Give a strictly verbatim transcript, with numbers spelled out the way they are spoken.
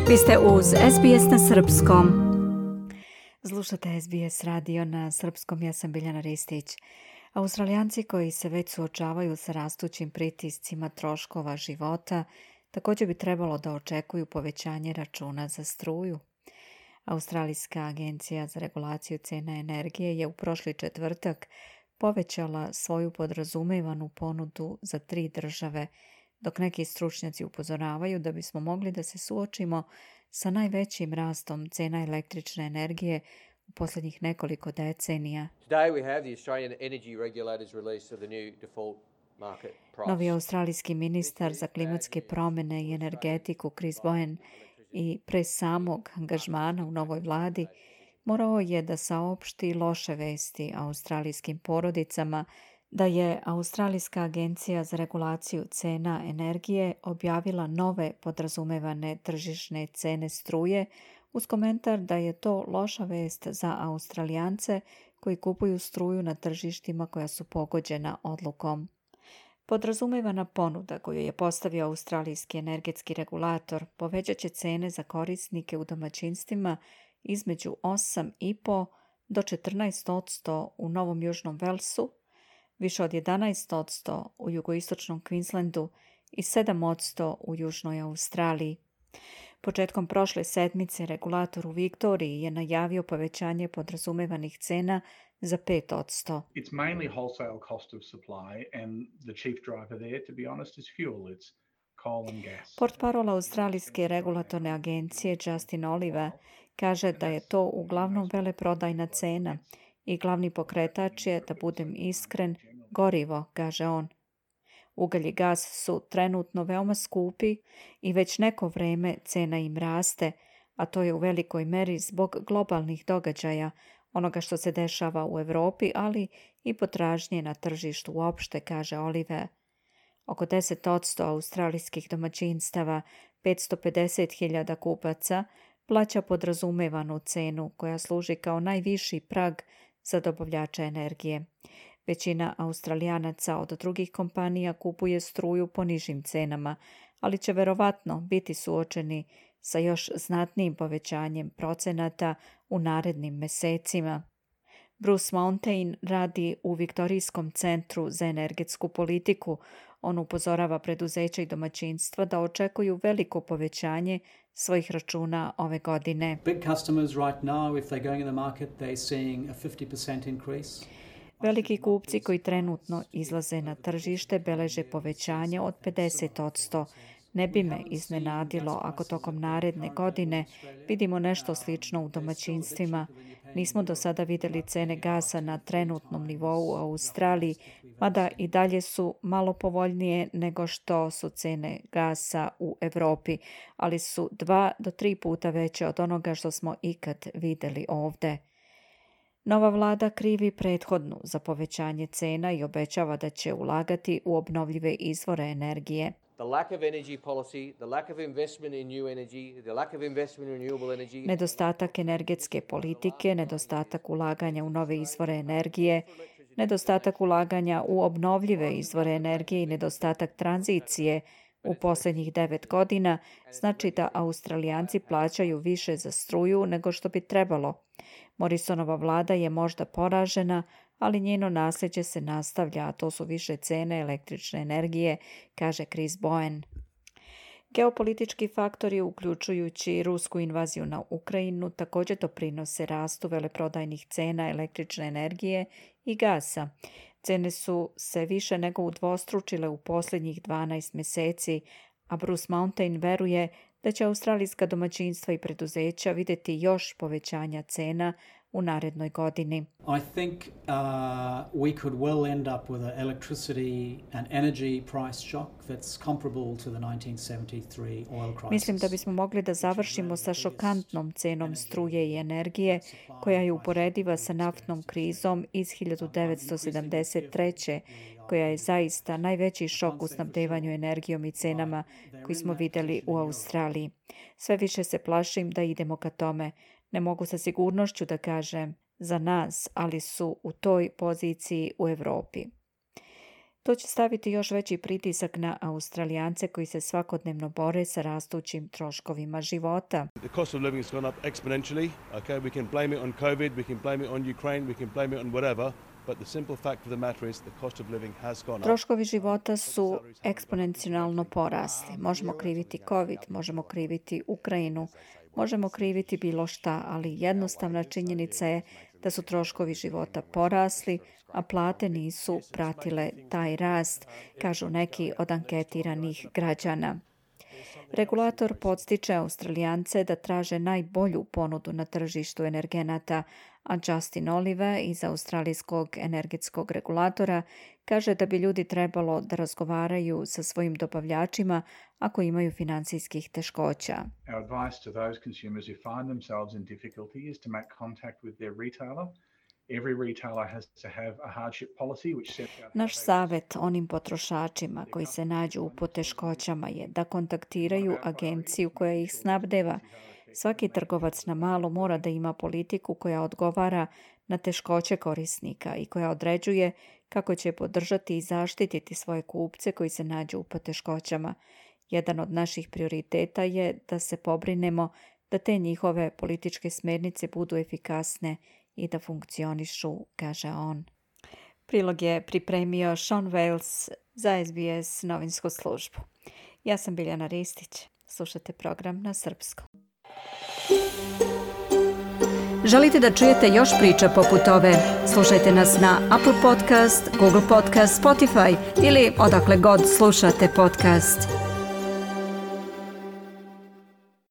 Vi ste uz S B S na srpskom. Slušate S B S radio na srpskom, ja sam Biljana Ristić. Australijanci koji se već suočavaju sa rastućim pritiscima troškova života također bi trebalo da očekuju povećanje računa za struju. Australijska agencija za regulaciju cena energije je u prošli četvrtak povećala svoju podrazumevanu ponudu za tri države, dok neki stručnjaci upozoravaju da bismo mogli da se suočimo sa najvećim rastom cena električne energije u posljednjih nekoliko decenija. Novi australijski ministar za klimatske promjene i energetiku Chris Bowen i pre samog angažmana u novoj vladi morao je da saopšti loše vesti australijskim porodicama da je Australijska agencija za regulaciju cena energije objavila nove podrazumevane tržišne cene struje uz komentar da je to loša vest za Australijance koji kupuju struju na tržištima koja su pogođena odlukom. Podrazumevana ponuda koju je postavio australijski energetski regulator povećat će cene za korisnike u domaćinstvima između osam zarez pet do četrnaest posto u Novom Južnom Velsu, više od jedanaest posto u jugoistočnom Queenslandu i sedam posto u Južnoj Australiji. Početkom prošle sedmice regulator u Viktoriji je najavio povećanje podrazumevanih cena za pet posto. It's mainly wholesale cost of supply and the chief driver there, to be honest, is fuel. It's coal and gas. Portparol Australijske regulatorne agencije Justin Oliver kaže da je to uglavnom veleprodajna cena i glavni pokretač je, da budem iskren, gorivo, kaže on. Ugalj i gas su trenutno veoma skupi i već neko vreme cena im raste, a to je u velikoj meri zbog globalnih događaja, onoga što se dešava u Evropi, ali i potražnje na tržištu uopšte, kaže Oliver. Oko deset posto australijskih domaćinstava, petsto pedeset hiljada kupaca, plaća podrazumevanu cenu koja služi kao najviši prag za dobavljača energije. Većina Australijanaca od drugih kompanija kupuje struju po nižim cenama, ali će verovatno biti suočeni sa još znatnijim povećanjem procenata u narednim mesecima. Bruce Mountain radi u Viktorijskom centru za energetsku politiku. On upozorava preduzeća i domaćinstva da očekuju veliko povećanje svojih računa ove godine. Big customers right now, if they're going in the market, they're seeing a fifty percent increase. Veliki kupci koji trenutno izlaze na tržište beleže povećanje od pedeset posto. Ne bi me iznenadilo ako tokom naredne godine vidimo nešto slično u domaćinstvima. Nismo do sada vidjeli cene gasa na trenutnom nivou u Australiji, mada i dalje su malo povoljnije nego što su cene gasa u Evropi, ali su dva do tri puta veće od onoga što smo ikad vidjeli ovde. Nova vlada krivi prethodnu za povećanje cena i obećava da će ulagati u obnovljive izvore energije. Nedostatak energetske politike, nedostatak ulaganja u nove izvore energije, nedostatak ulaganja u obnovljive izvore energije i nedostatak tranzicije u posljednjih devet godina znači da Australijanci plaćaju više za struju nego što bi trebalo. Morrisonova vlada je možda poražena, ali njeno nasljeđe se nastavlja, a to su više cene električne energije, kaže Chris Bowen. Geopolitički faktori, uključujući rusku invaziju na Ukrajinu, također doprinose rastu veleprodajnih cena električne energije i gasa. Cene su se više nego udvostručile u posljednjih dvanaest mjeseci, a Bruce Mountain veruje da će australijska domaćinstva i preduzeća vidjeti još povećanja cena u narednoj godini. I think uh, we could well end up with an electricity and energy price shock that's comparable to the nineteen seventy-three oil crisis. Mislim da bismo mogli da završimo sa šokantnom cenom struje i energije koja je uporediva sa naftnom krizom iz hiljadu devetsto sedamdeset treće koja je zaista najveći šok u snabdevanju energijom i cenama koji smo vidjeli u Australiji. Sve više se plašim da idemo ka tome. Ne mogu sa sigurnošću da kažem za nas, ali su u toj poziciji u Evropi. To će staviti još veći pritisak na Australijance koji se svakodnevno bore sa rastućim troškovima života. The cost of living has gone up exponentially. Okay, we can blame it on COVID, we can blame it on Ukraine, we can blame it on whatever. But the simple fact of the matter is the cost of living has gone up. Troškovi života su eksponencijalno porasli. Možemo kriviti COVID, možemo kriviti Ukrajinu, možemo kriviti bilo šta, ali jednostavna činjenica je da su troškovi života porasli, a plate nisu pratile taj rast, kažu neki od anketiranih građana. Regulator podstiče Australijance da traže najbolju ponudu na tržištu energenata, a Justin Olive iz australijskog energetskog regulatora kaže da bi ljudi trebalo da razgovaraju sa svojim dobavljačima ako imaju financijskih teškoća. Our advice to those consumers who find themselves in difficulty is to make contact with their retailer. Every retailer has to have a hardship policy which sets out. Naš savjet onim potrošačima koji se nađu u poteškoćama je da kontaktiraju agenciju koja ih snabdeva. Svaki trgovac na malo mora da ima politiku koja odgovara na teškoće korisnika i koja određuje kako će podržati i zaštititi svoje kupce koji se nađu u poteškoćama. Jedan od naših prioriteta je da se pobrinemo da te njihove političke smjernice budu efikasne i da funkcionišu, kaže on. Prilog je pripremio Sean Wales za S B S novinsku službu. Ja sam Biljana Ristić. Slušate program na srpskom. Želite da čujete još priča poput ove? Slušajte nas na Apple Podcast, Google Podcast, Spotify ili odakle god slušate podcast.